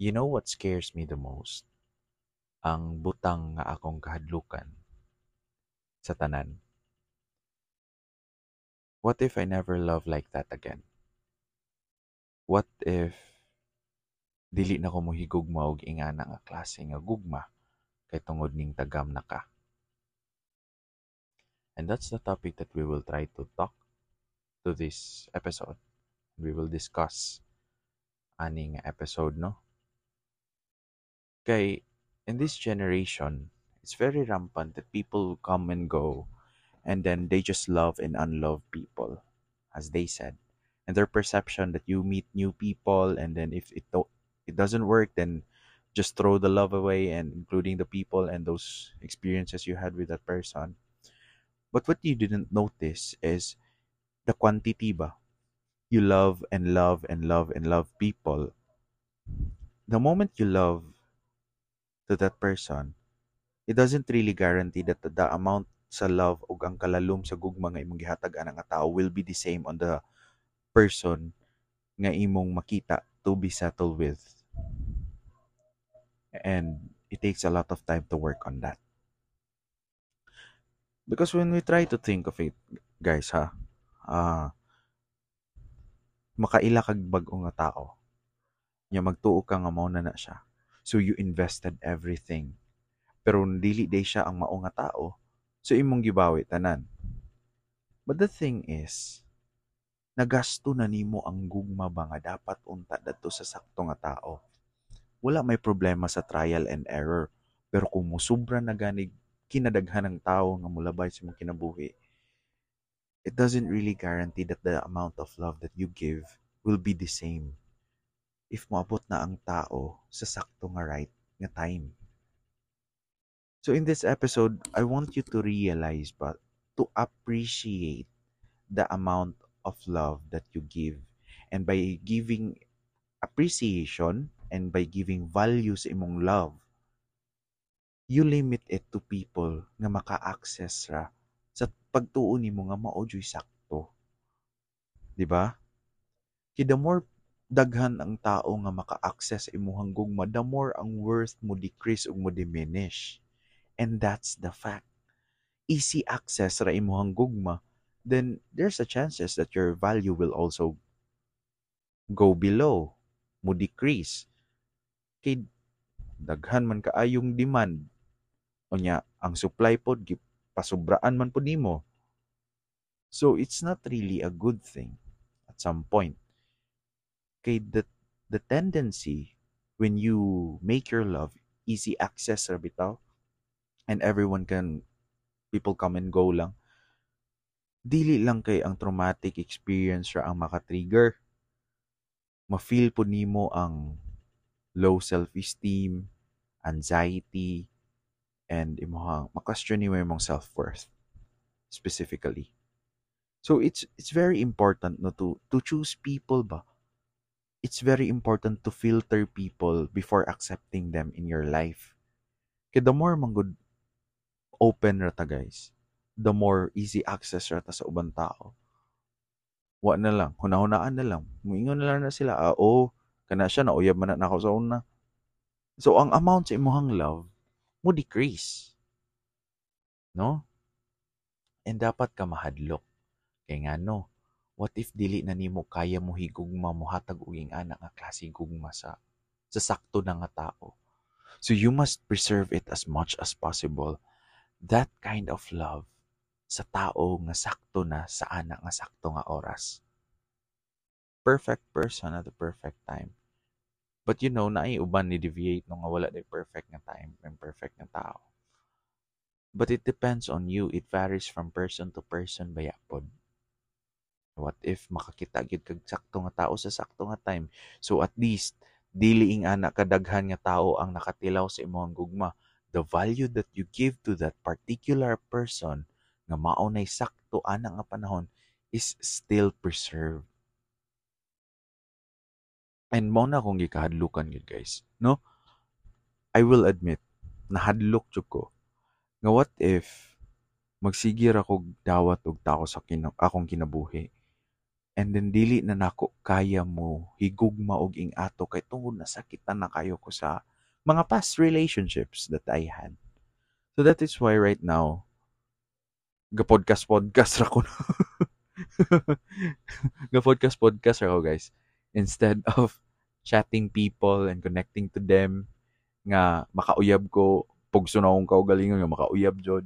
You know what scares me the most? Ang butang nga akong kahadlukan sa tanan. What if I never love like that again? What if dili na ko mohigugma og ingana nga klase nga gugma kay tungod ning tagam na ka? And that's the topic that we will try to talk to this episode. We will discuss aning episode, no? Kay in this generation, it's very rampant that people come and go and then they just love and unlove people, as they said. And their perception that you meet new people and then if it doesn't work, then just throw the love away and including the people and those experiences you had with that person. But what you didn't notice is the quantity ba? You love and love and love and love people. The moment you love to that person, it doesn't really guarantee that the amount sa love ug ang kalalom sa gugma nga imong gihatag ana nga tao will be the same on the person nga imong makita to be settled with. And it takes a lot of time to work on that. Because when we try to think of it, guys, ha, makaila kag bag-o nga tao. Nya magtuo ka nga mao na na siya. So you invested everything. Pero dili diay siya ang mao nga tao. So imong gibawi tanan. But the thing is, nagasto na nimo ang gugma ba nga dapat unta dadto sa sakto nga tao. Wala may problema sa trial and error. Pero kung musubra na ganig kinadaghan ng tao nga mulabay sa imong kinabuhi, it doesn't really guarantee that the amount of love that you give will be the same if moabot na ang tao sa sakto nga right nga time. So in this episode, I want you to realize but to appreciate the amount of love that you give. And by giving appreciation and by giving value sa imong love, you limit it to people nga maka-access ra sa pagtuo nimo nga mao juy sakto. Di ba? Kay the more daghan ang tao nga maka-access sa imuhang gugma, the more ang worth mo decrease ug mo diminish. And that's the fact. Easy access ra imuhang gugma, then there's a chances that your value will also go below, mo decrease. Kay daghan man kaayong demand. Unya, ang supply pod gipasubraan man pod nimo. So it's not really a good thing at some point. Kay the tendency when you make your love easy access ra bitaw and everyone can people come and go lang, dili lang kay ang traumatic experience ra ang maka-trigger. Ma-feel po nimo ang low self-esteem, anxiety, and imuhang ma-question nimo imong self-worth specifically. So it's very important, no, to choose people ba. It's very important to filter people before accepting them in your life. Kay the more manggod open ra ta, guys, the more easy access ra ta sa ubang tao. Wa na lang, hunahunaan na lang. Muingon na lang na sila, "Ah, oh, kana siya, nauyab man na nako sa una." So, ang amount sa imuhang love, mo decrease. No? And dapat ka mahadlok. Kay ngano, what if dili na nimo kaya mo higugma, mohatag og ingana nga klase gugma sa sakto na nga tao? So you must preserve it as much as possible. That kind of love sa tao nga sakto na sa ana nga sakto nga oras. Perfect person at the perfect time. But naay uban ni deviate no nga wala day perfect nga time and perfect nga tao. But it depends on you. It varies from person to person baya pod. What if makakita gyud kag sakto nga tao sa sakto nga time? So at least dili ing ana kadaghan nga tao ang nakatilaw sa imong gugma. The value that you give to that particular person nga mao nay sakto ana nga panahon is still preserved. And mao na akong gikahadlukan gyud, guys, no? I will admit, nahadlok jud ko. Nga what if magsige ra kog dawat og tao sa akong kinabuhi? And then dili na nako kaya mo higugma og ing-ato kay tungod nasakitan na kayo ko sa mga past relationships that I had. So that is why right now, ga-podcast podcast ra ko. Ga-podcast podcast ra ko, guys. Instead of chatting people and connecting to them nga makauyab ko, pugso na akong kaugalingon nga makauyab jud.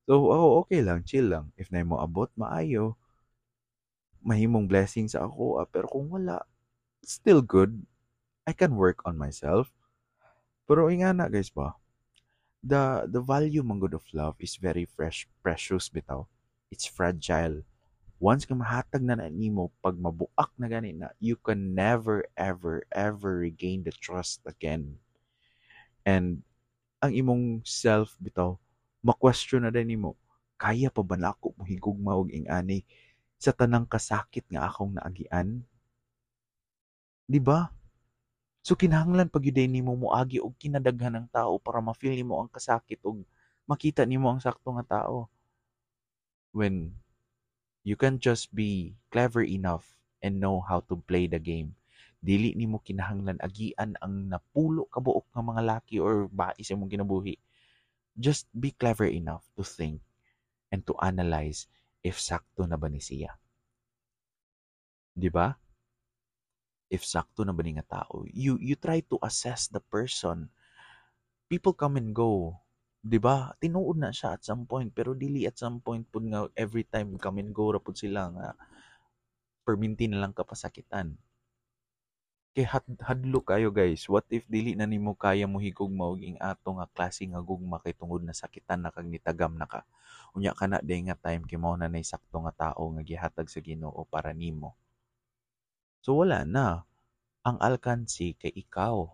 So, oh, okay lang, chill lang. If naay moabot, maayo. Mahimong blessing sa ako, ah, pero kung wala, still good. I can work on myself. Pero ingana, guys, ba? The value man gud of love is very fresh, precious bitaw. It's fragile. Once ka mahatag na na nimo, pag mabuak na gani na, you can never ever ever regain the trust again. And ang imong self bitaw, ma-question na din nimo, kaya pa ba nako mohigugma og ing-ani sa tanang kasakit nga akong naagian? Di ba? So kinahanglan pag gyud nimo moagi og kinadaghan ng tao para ma-feel nimo ang kasakit og makita nimo ang sakto nga tao. When you can just be clever enough and know how to play the game. Dili nimo kinahanglan agian ang napulo ka buok nga mga laki or bae sa imong kinabuhi. Just be clever enough to think and to analyze if sakto na ba ni siya. Di ba? If sakto na ba ni nga tao. You try to assess the person. People come and go. Di ba? Tinuod na siya at some point, pero dili at some point pud nga every time come and go ra pud sila nga perminti na lang ka pasakitan. Kay hadlok kayo, guys. What if dili na nimo kaya mo higugma og ing-ato nga klase nga gugma kay tungod nasakitan na kag nitagam na ka? Unya kana day nga time kay mao na nay sakto nga tao nga gihatag sa Ginoo para nimo. So wala na. Ang alkansi kay ikaw.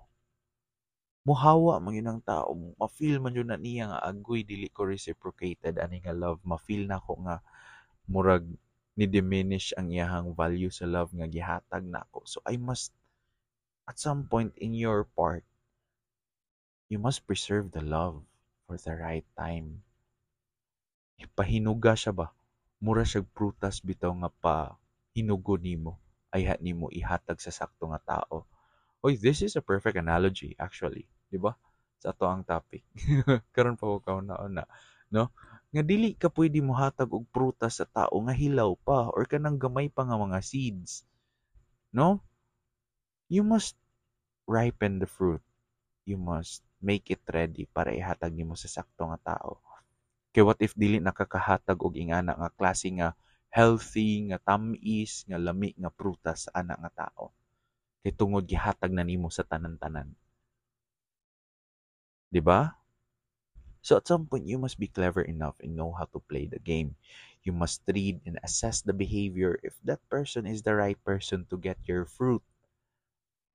Muhawa man yun ang tao, ma-feel man yun na niya nga agoy, dili ko reciprocated ani nga love, ma-feel nako nga murag ni diminish ang iyahang value sa love nga gihatag nako. So I must, at some point in your part, you must preserve the love for the right time. Pahinuga siya ba? Mura siya prutas bitaw nga pa hinugo nimo, ayha nimo ihatag sa sakto nga tao. Oy, this is a perfect analogy actually, di ba? Sa ato ang topic. Karon pa ko kauna-una, no? Nga dili ka pwede mohatag og prutas sa tao nga hilaw pa or kanang gamay pa nga mga seeds. No? You must ripen the fruit. You must make it ready para ihatag nimo sa sakto nga tao. Kay what if dili nakakahatag og ingana nga klase nga healthy, nga tam-is, nga lami nga prutas sa ana nga tao? Kay tungod gihatag na nimo sa tanan-tanan. Di ba? So at some point, you must be clever enough and know how to play the game. You must read and assess the behavior if that person is the right person to get your fruit,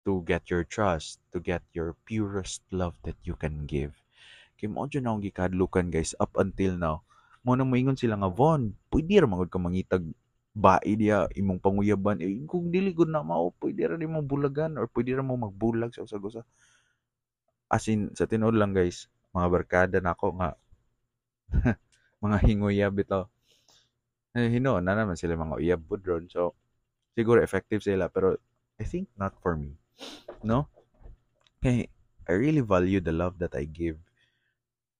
to get your trust, to get your purest love that you can give. Kay mao jud akong gikadlukan, guys, up until now. Mao na moingon sila nga, "Von, pwede ra man gud ka mangitag bae diya imong panguyaban." Eh, kung dili gud na mao, pwede ra nimo bulagan or pwede ra mo magbulag sa usag-usa. As in, sa tinuod lang, guys, mga barkada nako nga mga hinguyab bitaw. Eh, hinuon na naman sila mga uyab pud ron. So, siguro effective sila, pero I think not for me. No? Kay I really value the love that I give.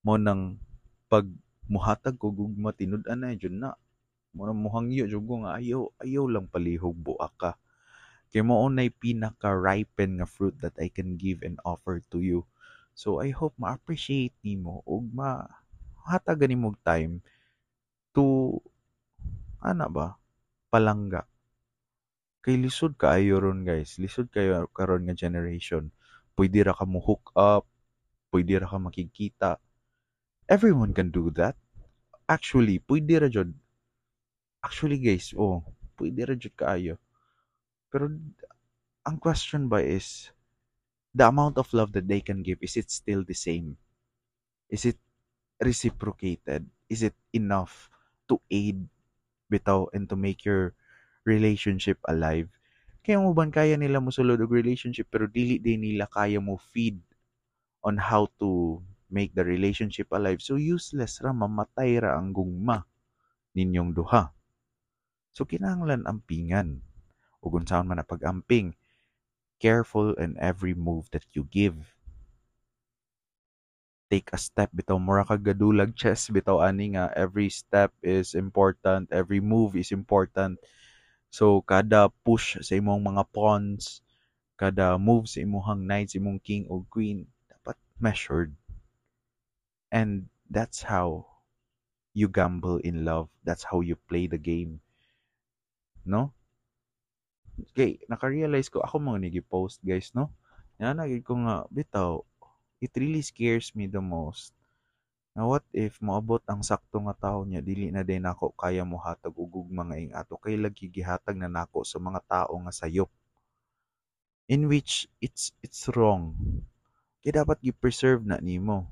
Mao nang pag muhatag ko gugma, tinud-an na jud na. Mao nang muhangyo jud ko nga ayaw ayaw lang palihog buak ka. Kay mao nay pinaka ripen nga fruit that I can give and offer to you. So I hope ma-appreciate nimo ug ma hatagan nimo og time to ana ba, palangga. Kay lisod kaayo ron, guys. Lisod kayo karon nga generation. Pwede ra ka mo hook up, pwede ra ka makigkita. Everyone can do that. Actually, pwede ra jud. Actually, guys, oh, pwede ra jud kaayo. Pero ang question ba is, the amount of love that they can give, is it still the same? Is it reciprocated? Is it enough to aid bitaw and to make your relationship alive? Kaya mo ban kaya nila mosulod og relationship pero dili din nila kaya mo feed on how to make the relationship alive. So useless ra, mamatay ra ang gugma ninyong duha. So kinahanglan ampingan. Ug unsaon man na pag-amping, careful in every move that you give. Take a step bitaw, mura kag gadulag chess bitaw ani nga every step is important, every move is important. So kada push sa imong mga pawns, kada move sa imong knight, sa imong king o queen, dapat measured. And that's how you gamble in love. That's how you play the game. No? Okay, naka-realize ko, ako mga nigi-post, guys, no? Yan, nagid ko nga, bitaw, it really scares me the most. Na what if moabot ang sakto nga tao niya, dili na din ako kaya mohatag og gugma nga ing-ato kay lagi gihatag na nako sa mga tao nga sayop. In which it's wrong. Kaya dapat gi-preserve na nimo.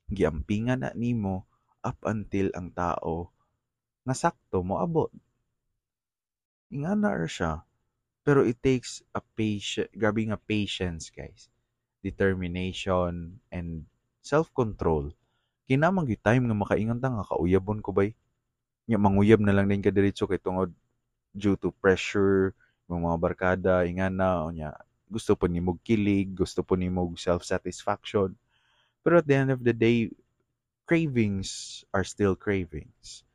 Giampingan na nimo up until ang tao nga sakto moabot. Ingana ra siya. Pero it takes a patient, grabe nga patience, guys. Determination and self-control. Kay naa man gyud time nga makaingon ta nga kauyabon ko bay. Nya manguyab na lang din ka diretso kay tungod due to pressure, mga barkada, ingana, unya gusto po nimo kilig, gusto po nimo self-satisfaction. Pero at the end of the day, cravings are still cravings.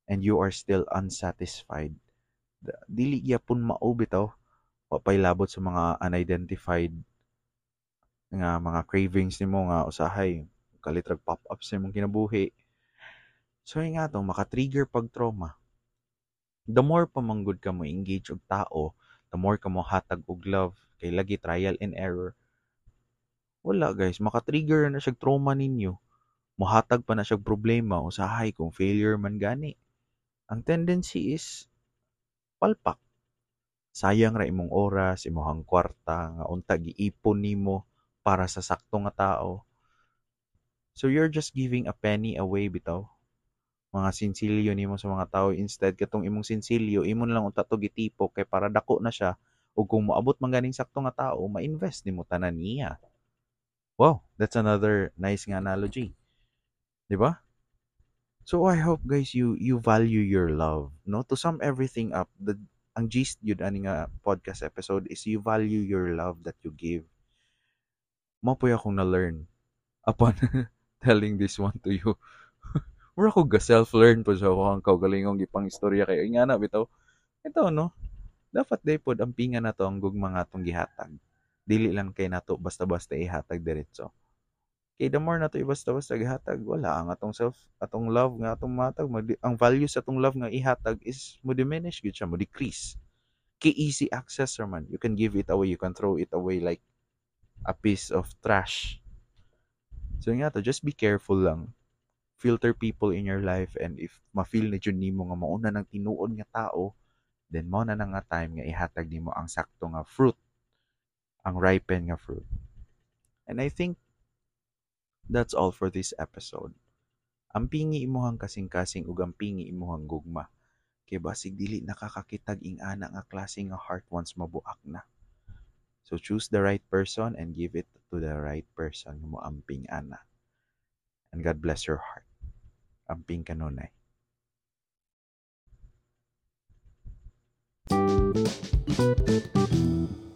And you are still unsatisfied. Dili gyapon mao bitaw. Wa pay labot sa mga unidentified nga mga cravings nimo nga usahay kalit rag pop up sa imong kinabuhi. So nga to maka-trigger pag trauma. The more pa manggod ka mo engage og tao, the more ka mo hatag og love kay lagi trial and error. Wala, guys, maka-trigger na siya trauma ninyo. Mohatag pa na siya problema usahay kung failure man gani. Ang tendency is palpak. Sayang ra imong oras, imong kwarta nga unta giipon nimo para sa sakto nga tao. So you're just giving a penny away bitaw. Mga sinsilyo nimo sa mga tao, instead katong imong sinsilyo imo na lang unta to gitipok kay para dako na siya ug kung moabot man ganing sakto nga tao, ma-invest nimo tanan niya. Wow, that's another nice nga analogy. Di ba? So I hope, guys, you value your love, no? To sum everything up, the ang gist yun ani nga podcast episode is you value your love that you give. Mao po'y akong na-learn upon telling this one to you. Mura ko ga self-learn po sa akong kaugalingong gipang istorya kayo. Nga na bitaw. Ito, no? Dapat day pod ampingan nato ang gugma nga atong gihatag. Dili lang kay nato basta-basta ihatag diretso. Kay the more nato basta-basta gihatag, wala ang atong self, atong love nga atong matag, ang value sa atong love nga ihatag is mo diminish gyud siya, mo decrease. Kay easy access man. You can give it away, you can throw it away like a piece of trash. So nga to, just be careful lang. Filter people in your life, and if ma-feel na jud nimo nga mauna ng tinuod nga tao, then mao na nga time nga ihatag nimo ang sakto nga fruit, ang ripen nga fruit. And I think that's all for this episode. Ampingi imuhang kasing-kasing ug ampingi imuhang gugma. Kay basig dili nakakakitag ing-ana nga klase nga heart once mabuak na. So choose the right person and give it to the right person nga moamping ana. And God bless your heart. Amping kanunay. Thank you.